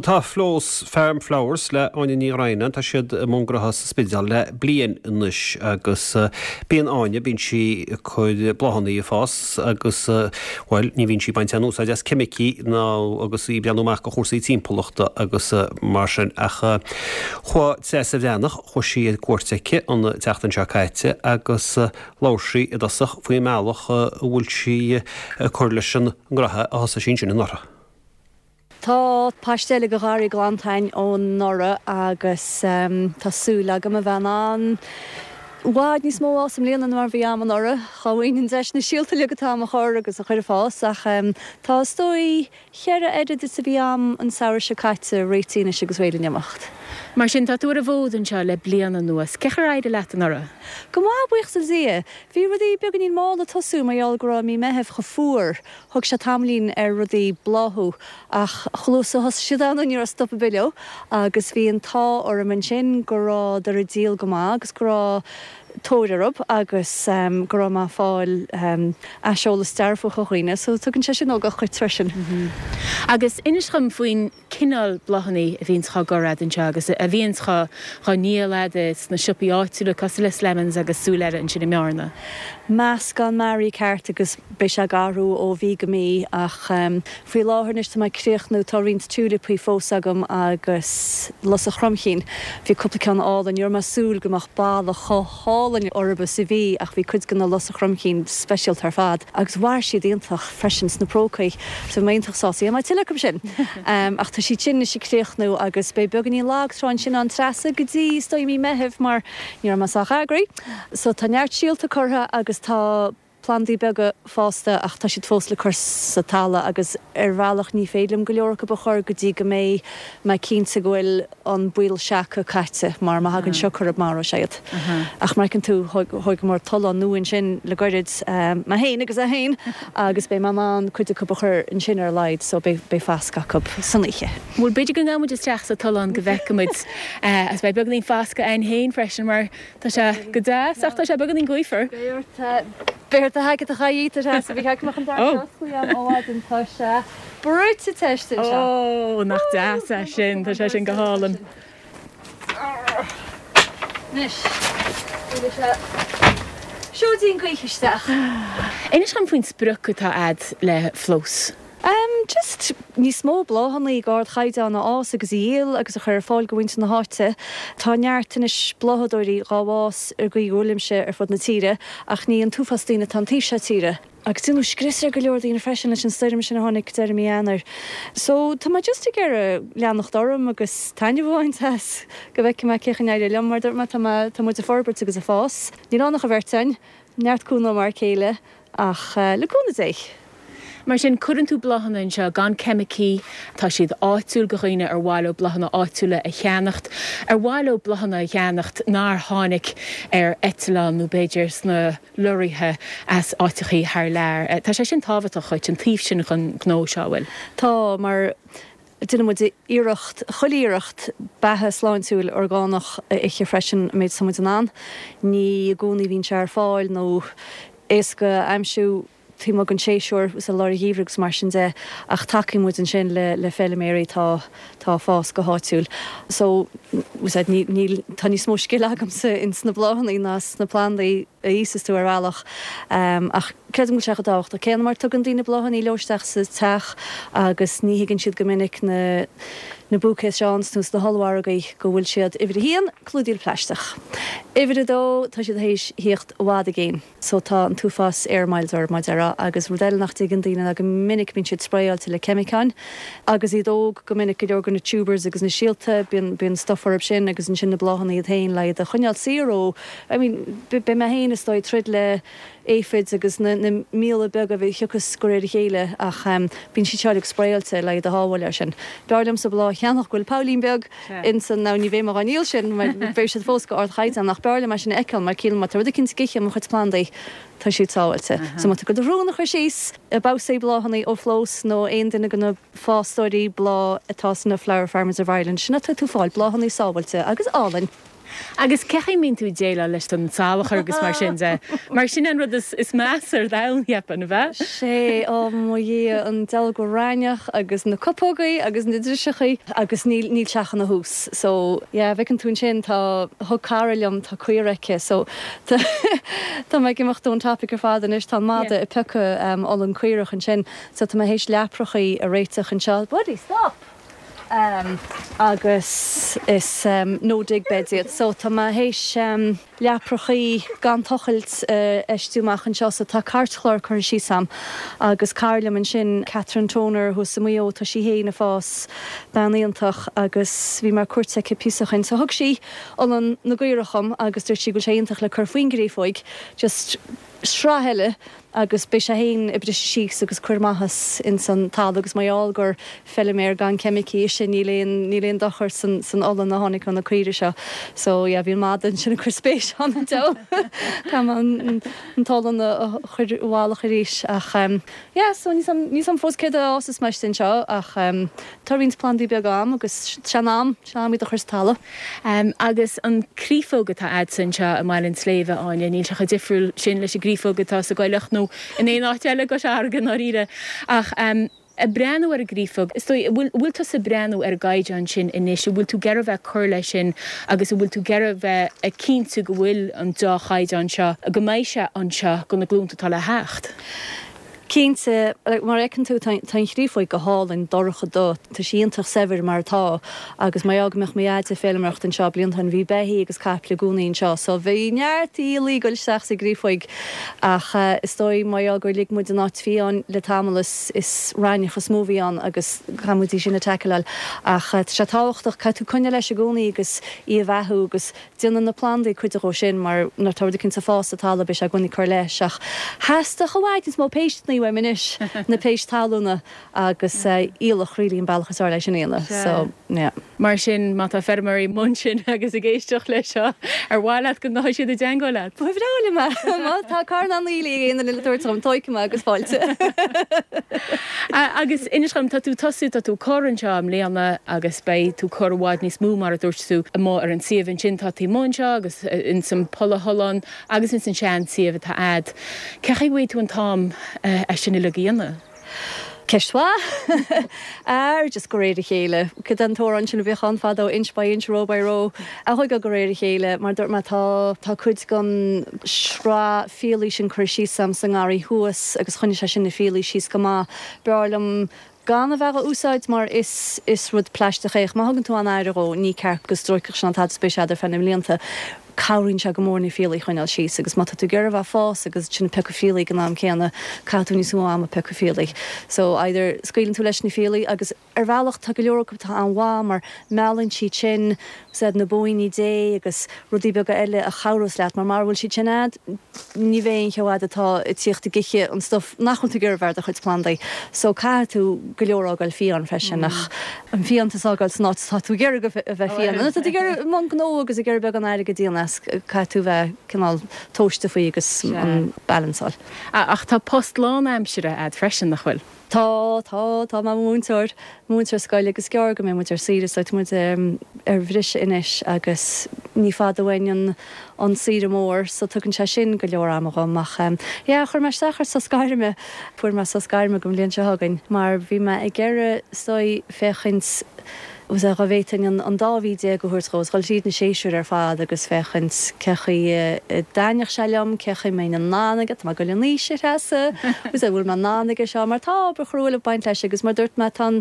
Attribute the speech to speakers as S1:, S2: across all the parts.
S1: Tá Flós Farm Flowers le Áine Ní Dhroighneáin, tá siad i mbun gnótha sa Spidéal le bliain anois agus bíonn Áine, bíonn sí ag cur bláthanna ag fás agus, bhuel, ní bhíonn sí ag baint aon úsáid as ceimicí ná agus í ag breathnú amach do chúrsaí timpeallachta agus mar sin ach chuaigh Treasa Bhreathnach, chuaigh sí ar cuairt aici an tseachtain seo caite agus labhair sí i dtosach faoin mbealach a bhfuil sí ag cur leis an ngnótha a thosaigh sí ansin anuraidh.
S2: Tá paiste eile de gharraí glanta againn ó anuraidh agus tá súil agam a bheith in ann i bhfad níos mó a fhás i mbliana ná mar a bhí a'm anuraidh. Dhá bhfaighinn an deis na síolta uilig atá a'm a chur agus a chur ag fás ach tá is dóigh cheithre oiread is a bhí a'm an samhradh seo caite réitithe anois agus réidh le n-imeacht.
S3: Mar sin, tá tú ar an bhfód anseo le bliain anuas. Cén chaoi ar éirigh leat anuraidh?
S2: Go maith, buíochas le Dia. Bhí rudaí beagáinín mall ag tosú mar gheall go raibh mí Meithimh chomh fuar. Thóg sé tamaillín ar rudaí bláthú ach chomh luath is a thosaigh siad ann ní raibh stop ar bith leo agus bhí an t-ádh orm ansin go rabhadar ag díol go maith agus go raibh tóir orthu agus go raibh mé ag fáil aiseolas dearfach ó dhaoine so tugann sé sin ugach dhuit freisin.
S3: Agus inis dhom faoin cineál bláthanna a bhíonns dhá gcur a'd anseo agus a bhíonns dhá ndíol a'd sna siopaí áitiúla cosúil le Slemons agus Súil Eile ansin i mBearna.
S2: Meascán mearaí ceart agus beidh sé ag athrú ó mhí go mí ach faoi láthair anois tá mé ag críochnú, tá roinnt tiúilipí fós agam agus lus an chromchinn. Bhí cúpla ceann álainn, ní raibh mé ag súil go mbeadh boladh chomh hálainn orthu is a bhí ach bhí cuid de na lus an chromchinn speisialta ar fad agus mhair siad iontach freisin sna prócaí so bhí mé iontach sásta. Dhéanfaidh mé tuilleadh acu sin ach tá siad sin anois ag críochnú agus beidh beagáinín lag trá ansin ann Treasa go dtí is dóigh mí Meithimh mar ní raibh mé sách eagraithe. So tá neart síolta curtha agus tá plandaí beaga fásta ach tá siad fós le cur sa talamh agus ar bhealach ní féidir liom go leor acu a chur go dtí go mbeidh mé cinnte go bhfuil an baol seaca caite mar má thagann sioc orthu maróidh sé iad. Ach mar a fheiceann tú thógamar tollán nua ansin le gairid, mé féin agus é féin, agus beidh mé in ann cuid acu a chur ansin ar a laghad so beidh fascadh acu san oíche.
S3: Bhuel b'fhéidir go ngabhfaidh muid isteach sa tollán go bhfeicfidh muid agus beidh beagáinín fascadh againn féin freisin mar Tá sé go deas ach tá sé beagáinín gaofar.
S2: Beidh ort beidh ort do sheaicéad a chaitheamh a Threasa. Bhí ceart go mbeadh an doras oscailte agam ó mhaidin. Tá sé brúite te istigh anseo.
S3: Ó, nach deas é sin. Tá sé sin go hálainn.
S2: Anois, buailfidh sé seoidín gaoithe isteach.
S3: Inis dom faoin sprioc atá a'd le Flós.
S2: Just níos mó bláthanna d'ardchaighdeán a fhás agus a dhíol agus a chur ar fáil go mhuintir na háite. Tá neart anois bláthadóirí dhá bhfás ar an gcaoi go bhfuilimse ar fud na tíre ach ní an t-uafás daoine atá an taobh seo tíre. Agus déanadh scrios ar go leor daoine freisin leis an stoirm sin a tháinig deireadh mí Eanáir. So tá mé just ag iarraidh leanacht orm agus taitneamh a bhaint as go bhfeicfidh mé cén chaoi a n-éireoidh liom mar dúirt mé tá mé tá muid ag forbairt agus ag fás. Níl ann ach an bheirt againn, neart cúnamh ó m'fhear céile ach le cúnamh Dé.
S3: Mar sin, cuireann tú bláthanna anseo gan ceimicí, tá siad áitiúil go dhaoine ar mhaith leo bláthanna áitiúla a cheannacht, ar mhaith leo bláthanna a cheannacht nár tháinig ar eitleán nó b'fhéidir sna lorraithe as áiteachaí thar lear. Tá sé sin tábhachtach dhuit, an taobh sin den ghnó seo, an bhfuil?
S2: Tá, mar déanann muid iarracht, chuile iarracht, beatha sláintiúil orgánach a ithe freisin, an méid is atá muid in ann. Ní i gcónaí a bhíonn sé ar fáil nó éasca a aimsiú. taobh amuigh den séasúr, is i lár an gheimhridh agus mar sin de, ach tacaíonn muid ansin le le feilméaraí atá atá ag fás go háitiúil. So, bhfuil ní níl tá níos mó scil agamsa ins na bláthanna ná sna plandaí a íosas tú ar bhealach. Ach creidim go bhfuil sé chomh tábhachtach céanna mar tugann daoine bláthanna leo isteach sa teach agus ní thuigeann siad go minic na na bouquets seo ann sna hollmhargaí go bhfuil siad uimhir a haon, clúdaíl plaisteach. Uimhir a dó, tá siad théis thíocht i bhfad i gcéin. So tá an t-uafás air miles orthu, mar a déarfá, agus rud eile nach dtuigeann daoine ná go minic bíonn siad spraeáilte le ceimiceáin agus iad óg, go minic go leor de na tubers agus na síolta, bíonn, bíonn stuff orthu sin agus ansin na bláthanna iad féin le iad a choinneáil saor ó, I mean, beidh mé féin is dóigh ag troid le aphids agus na, na míola beaga a thiocfas de réir a chéile ach bíonn siad seo uilig spraeáilte le iad a shábháil air sin. B'fhearr liomsa bláth a cheannach go bhfuil poillín beag ins an, now ní bheidh mé dhá ndíol sin mar beidh siad fós go ardchaighdeán ach b'fhearr liom é sin a fheiceáil mar ciallaíonn má tá rud eicínt ag ithe mo chuid plandaí tá siad sábháilte. So má tá tú ag dul do shrón a chur síos i babhsaí bláthanna ó Flós nó aon duine de na fástóirí bláth atá sna Flower Farmers of Ireland sin atá tú fáil bláthanna sábháilte agus álainn.
S3: Agus cén chaoi a mbíonn tú ag déileáil leis an salachar agus mar sin de? Mar sin an rud is measa ar domhan, cheapfainn, ab ea?
S2: Sé, ó mo Dhia, an dealg raithneach agus na cupógaí agus na driseachaí agus níl, níl teach ina thús. So, yeah, bhfeiceann tú ansin, tá, thug cara liom, tá caora aici, so tá, tá mé ag imeacht ón topic ar fad anois, tá an madadh ag piocadh olann caorach ansin, so tá mé théis leaprachaí a réiteach anseo. Buddy, stop! Agus is no dig beds iad. So tá mé théis leaprachaí gan tochailt a fheistiú amach anseo. So tá cairtchlár curtha síos a'm agus cara liom ansin, Catherine Toner thuas i Maigh Eo, tá sí fhéin ag fás, bean iontach agus bhí mé ar cuairt aici píosa ó shin. So thug sí olann na gcaorach dhom agus dúirt sí go bhfuil sé iontach le cur faoin gcréafóig, just sraith eile agus beidh sé féin ag briseadh síos agus cur maitheas ins an talamh agus mar gheall gur feiliméar gan ceimicí ise níl aon níl aon dochar san san olann a tháinig ó na caoirigh seo. So yeah bhí an madadh ansin ag cur spéis ann an diabhal caithfidh mé an an t-olann a a chur i bhfalach arís ach em yeah so níl 's a'm níl 's a'm fós céard a fhásas mé istigh anseo ach em tá roinnt plandaí beaga a'm agus sé an am sé an am iad a chur sa talamh.
S3: Agus an créafóg atá a'dsa anseo i mBaile an tSléibhe, Áine, níl sé chomh difriúil sin leis an gcréafóg atá sa gcoileach nó in aon áit eile i gCois Fharraige i ndáiríre. Ach ag breathnú ar an gcréafóg, is dóigh, an bhfuil, an bhfuil tusa ag breathnú ar an gcaighdeán sin anois, an bhfuil tú ag iarraidh bheith ag cur leis sin agus an bhfuil tú ag iarraidh bheith ag cinntiú go bhfuil an deá-chaighdeán seo, go mbeidh sé anseo do na glúnta atá le theacht?
S2: Cinnte, mar a fheiceann tú, tá an chréafóig go hálainn, dorcha dubh. Tá sí iontach saibhir mar atá agus mar gheall go mbeadh mo dhaid ag feilméaracht anseo blianta ó shin, bhí beithígh agus caiple i gcónaí anseo so bhí neart aoiligh ag dul isteach sa gcréafóig ach is dóigh mar gheall gur lig muid an áit fiáin le tamall is is raithneach is mó a bhí ann agus caithfidh muid í sin a tackleáil ach tá sé tábhachtach, caithfidh tú coinneáil leis i gcónaí agus í a bheathú agus Déanann na plandaí cuid dhó sin mar nuair atá rud eicínt ag fás sa talamh beidh sé i gcónaí ag cur leis ach theastódh i bhfad níos mó péisteanna uaim anois, na péist talúna agus aoileach really an bealach is fearr leis sin a dhéanamh so yeah.
S3: Mar sin má tá feirmeoirí amuigh ansin agus ag éisteacht leis seo, ar mhaith leat go ngabhfaidh siad i dteangmháil leat?
S2: Ba bhreá liom é! Má tá carnán aoiligh ag aon duine le tabhairt dhom, tóigfidh mé agus fáilte.
S3: Agus inis dhom, tá tú ag tosú, tá tú ag cur anseo i mbliana agus beidh tú ag cur i bhfad níos mó mar a dúirt tú amuigh ar an suíomh ansin tá taobh amuigh anseo agus ins an polathollán agus ins an sean suíomh atá a'd. Cé chaoi a bhfaighidh tú an t-am é sin uilig a dhéanamh?
S2: Ceist mhaith. Ar just de réir a chéile. Cad é an t-amhrán sin a bhíodh ann fadó, inch by inch, row by row. A thuigeadh de réir a chéile. Mar dúirt mé tá tá cuid den sraith fiailí sin curtha síos a'm sa ngarraí thuas agus choinnigh sé sin na fiailí síos go maith. B'fhearr liom gan a bheith á úsáid mar is is rud plaisteach é ach má thugann tú an-aire dhó ní ceart go stróicfeadh sé ná tada is beidh sé a'd ar feadh na mblianta. Cabhraíonn sé go mór na fiailí a choinneáil síos agus má tá tú ag iarraidh a bheith ag fás agus ansin ag piocadh fiailí ag an am céanna caithfidh tú níos mó ama ag piocadh fiailí. So either scaoileann tú leis na fiailí agus ar bhealach tá go leor acu atá an-mhaith mar meallann siad sin úsáid na bóíní Dé agus rudaí beaga eile a chabhrós leat mar mara bhfuil siad sin a'd ní bheidh aon cheo a'd atá ag tíocht ag ithe an stuif nach bhfuil tú ag iarraidh a bheith ar do chuid plandaí. So caithfidh tú go leor a fhágáil fiáin freisin ach an fiántas a fhágáil san áit atá tú ag iarraidh a bheith fiáin. Nuair atá tú ag iarraidh i mbun gnó agus ag iarraidh beagán airgid a dhéanamh as caithfidh tú bheith cineál tomhaiste faoi agus an balance a fháil.
S3: Ach tá post lánaimseartha a'd freisin, nach bhfuil?
S2: Tá, tá, tá mé i mo mhúinteoir, múinteoir scoile agus is gearr go mbeidh muid ar saoire so tá muid ar bhriseadh anois agus ní fada uainn an an saoire mór so tugann sé sin go leor ama dhom ach yeah chuir mé isteach ar sos gairme, fuair mé sos gairme don bhliain seo chugainn mar bhí mé ag iarraidh is dóigh féachaint Agus dá bhféadfainn an dá mhí a thabhairt dhó, is dhul tríd na séasúir ar fad agus féachaint cé chaoi a dtaitneodh sé liom, cé chaoi a mbeinn in ann aige, tá mé ag dul in aois, a Threasa, agus an bhfuil mé in ann aige seo, mar tá obair chrua ag baint leis agus mar dúirt mé, tá an,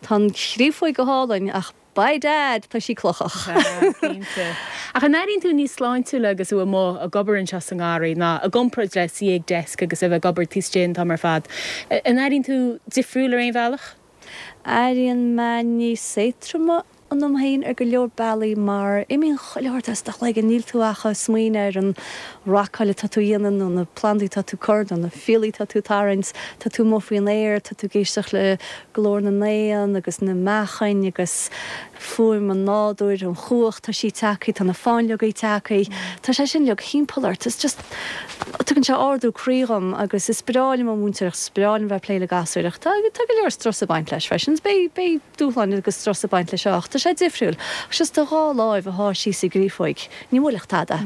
S2: tá an chréafóig go hálainn ach by dad, tá sí clochach.
S3: Sea, cinnte. Ach an airíonn tú níos sláintiúla agus tú amuigh ag obair anseo sa ngarraí ná i gcomparáid le suí ag desk agus a bheith ag obair taobh istigh an t-am ar fad? An airíonn tú difriúil ar aon bhealach?
S2: Airíonn mé níos éadtroime ionam féin ar go leor bealaí mar imíonn chuile shórt as do chloigeann, níl tú ach ag smaoineamh ar an racáil atá tú a dhéanamh nó na plandaí atá tú ag cur nó na fiailí atá tú ag tarraingt, tá tú amuigh faoin aer, tá tú ag éisteacht le glór na n-éan agus na meachain agus fuaim an nádúir, an chuach, tá sí tagtha, tá na fáinleogaí tagtha, tá sé sin uilig thimpeall ort, it's just, tugann sé ardú croí dhom agus is breá liom an mhúinteoireacht, is breá liom bheith ag plé le gasúir ach tá, tá go leor strus ag baint leis freisin, beidh, beidh dúshláin agus strus ag baint leis seo ach tá. Tá sé difriúil. Ach just do dhá láimh a shá síos i gcréafóig, ní bhuailfeadh tada.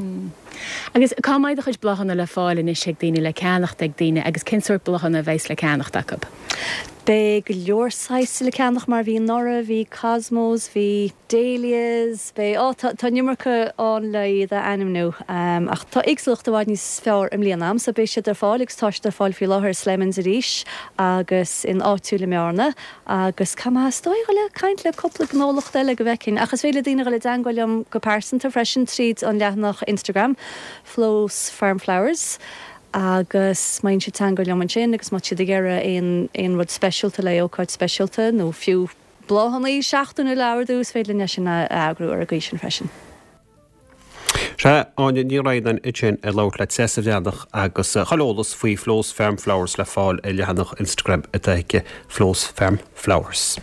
S3: Agus cá mbeidh do chuid bláthanna le fáil anois ag daoine, le ceannacht ag daoine agus cén sórt bláthanna a bheas le ceannacht acu?
S2: Beidh go leor saghas le ceannach mar bhí anuraidh, bhí cosmos, bhí dahlias, beidh, á tá, tá an iomarca ann le iad a ainmniú ach tá éagsúlacht i bhfad níos fearr i mbliana a'm so beidh siad ar fáil agus tá siad ar fáil faoi láthair i Slemons arís agus in Áitiúil i mBearna agus caithfidh mé is dóigh dhul ag caint le cúpla gnólacht eile go bhfeicfinn ach is féidir le daoine dhul i dteangmháil liom go pearsanta freisin tríd an leathanach Instagram Flo's Farm Flowers. agus má dhéanann siad teangmháil liom ansin agus má tá siad ag iarraidh aon aon rud speisialta le ócáid speisialta nó fiú bláthanna seachtainiúla a ordú, is féidir linn é sin a eagrú ar an gcaoi sin freisin.
S1: Sea, Áine Ní Dhroighneáin ansin ag labhairt le Treasa Bhreathnach agus chuile eolas faoi Flo's Farm Flowers le fáil ar leathanach Instagram atá aici, Flo's Farm Flowers.